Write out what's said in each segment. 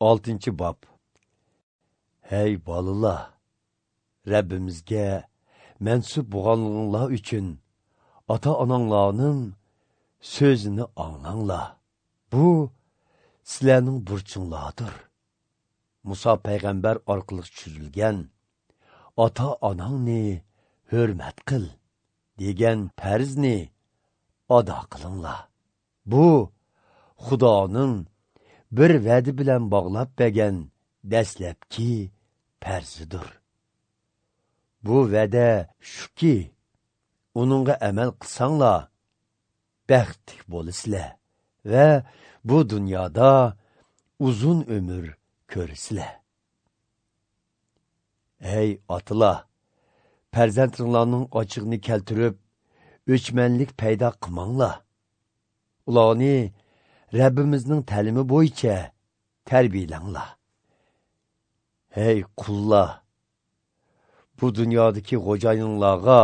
6-bob. Hey bolalar, Rabbimizga mansub bo'lganligingiz uchun ota-onanglarning so'zini anglanglar. Bu sizlarning burchinglardir. Musa payg'ambar orqali tushirilgan ota-onangni hurmat qil degan farzni ado qilinglar. Bu Xudoning bir va'da bilan bog'lab bergan dastlabki farzidir. Bu va'da shuki, uningga amal qilsanglar baxtli bo'lasizlar va bu dunyoda uzun umr ko'rasizlar. Ey otalar, farzandlaringlarning ochig'ini keltirib, o'chmanlik paydo qilmanglar. Ularni Rabbimizning ta'limi bo'yicha tarbiyalanglar. Hey qullar, bu dunyodagi xo'jayinlarga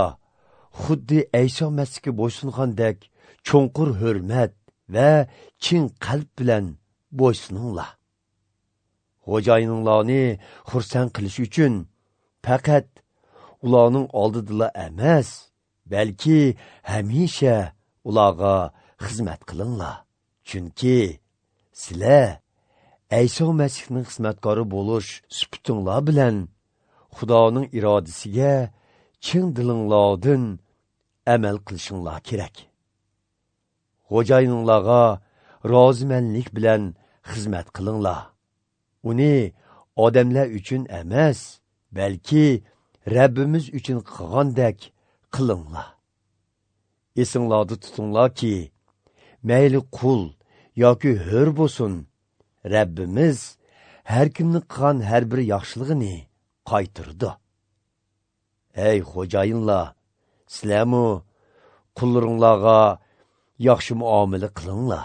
xuddi Ayso Masihga bo'ysungandek cho'nqur hurmat va chin qalb bilan bo'ysuninglar. Xo'jayinlarni xursand qilish uchun faqat ularning oldidala emas, balki hamisha ularga xizmat qilinglar. Chunki sizlar Ayso Masihning xizmatkori bo'lish sifatinglar bilan Xudoning irodasiga chin dilinglardan amal qilishinglar kerak. Xo'jayinlarga rozimanlik bilan xizmat qilinglar. Uni odamlar uchun emas, balki Rabbimiz uchun qilgandek qilinglar. Esinglarda tutinglarki, mayli qul yoki hur bo'lsin, Rabbimiz har kimni qilgan har bir yaxshiligini qaytardi. Ey xo'jayinlar, sizlarmi qullaringlarga yaxshi muomala qilinglar.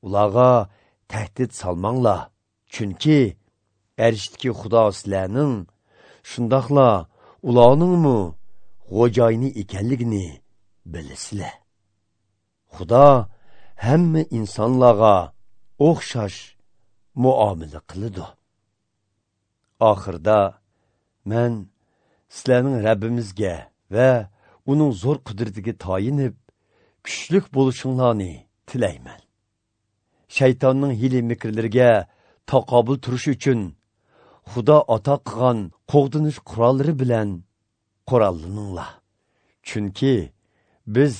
Ularga tahdid solmanglar. Chunki arshdagi Xudo sizlarning, shundoqla ularningmi xo'jayini ekanligini bilasizlar. Xudo hamma insonlarga o'xshash muomala qiladi. Oxirda men sizlarning Rabbimizga va uning zo'r qudratiga tayinib, kuchlik bo'lishinglarni tilayman. Shaytonning hiyla mikrlariga taqobil turish uchun Xudo ato qilgan qo'g'dinish qurollari bilan qurollaninglar. Chunki biz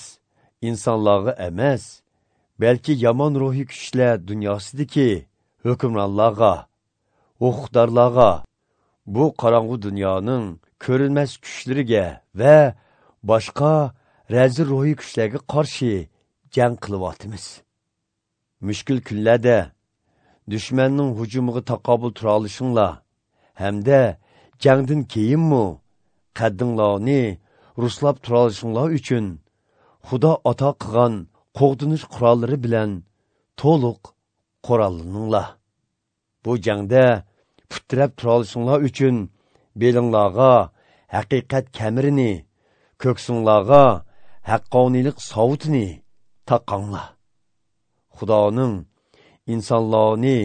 insonlarga emas, balki yomon ruhiy kuchlar dunyosidagi hukmronlarga, huquqdorlarga, bu qorong'u dunyoning ko'rinmas kuchlariga va boshqa razil ruhiy kuchlarga qarshi jang qilyapmiz. Mushkul kunlarda dushmanning hujumiga taqobil tura olishinglar hamda jangdan keyinmi qaddinglarni ruslab tura olishinglar uchun Xudo ato qilgan qo'g'dinish qurollari bilan to'liq qurollaninglar. Bu jangda putrab tura olishinglar uchun belinglarga haqiqat kamarini, ko'ksinglarga haqqoniylik sovutini taqanglar. Xudoning insonlarni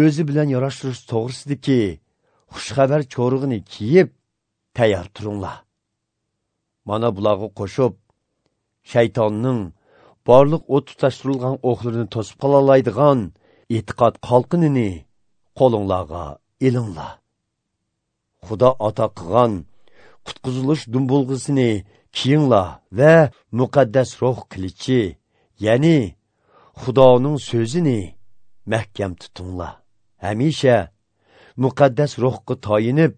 o'zi bilan yarashtirish to'g'risidagi xushxabar cho'rig'ini kiyib tayyor turinglar. Mana bularga qo'shib, shaytonning barliq o't tutashtirilgan o'qlarini to'sib qolaoladigan e'tiqod qalqinini qo'linglarga ilinglar. Xudo ato qilgan qutqizilish dumbulg'isini kiyinglar va muqaddas ruh qilichi, ya'ni Xudoning so'zini mahkam tutinglar. Hamisha muqaddas ruhga tayinib,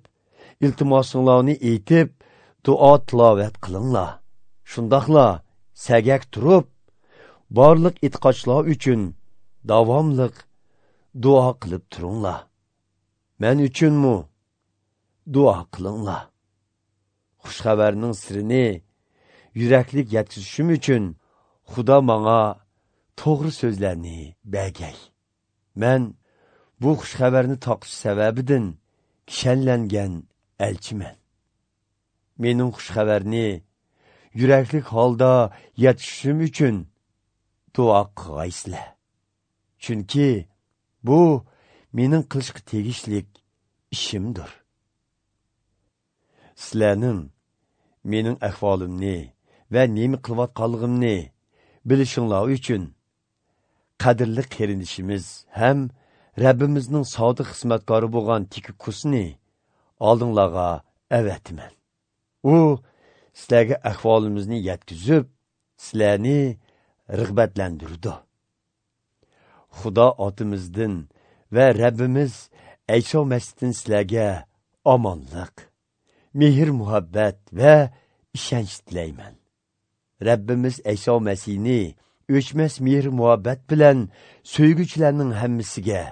iltimosinglarni aytib, duo tilovat qilinglar. Shundoqla sagak turib, barliq e'tiqodchilar uchun davomliq duo qilib turinglar. Men uchunmi duo qilinglar. Xushxabarning sirini yuraklik yetkazishim uchun Xudo menga to'g'ri so'zlarni bergay. Men bu xushxabarni toqish sababidan kishanlangan elchiman. Mening xushxabarni yuraklik holda yetkazishim uchun duo qilgaysizlar. Chunki bu mening qilishga tegishlik ishimdir. Sizlarning mening ahvolimni va nima qilayotganligimni bilishinglar uchun qadrli qarindishimiz ham Rabbimizning sodiq xizmatkori bo'lgan Tikikusni oldinglarga avatiman. U sizlarga ahvolimizni yetkazib, sizlarni rag'batlantirdi. Xudo otimizdan va Rabbimiz Ayso Masihdan sizlarga omonlik, mehr muhabbat va ishonch tilayman. Rabbimiz Ayso Masihni o'chmas mehr muhabbat bilan so'yguchilarning hammasiga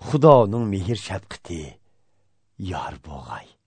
Xudoning mehr shafqati yor bo'lg'ay.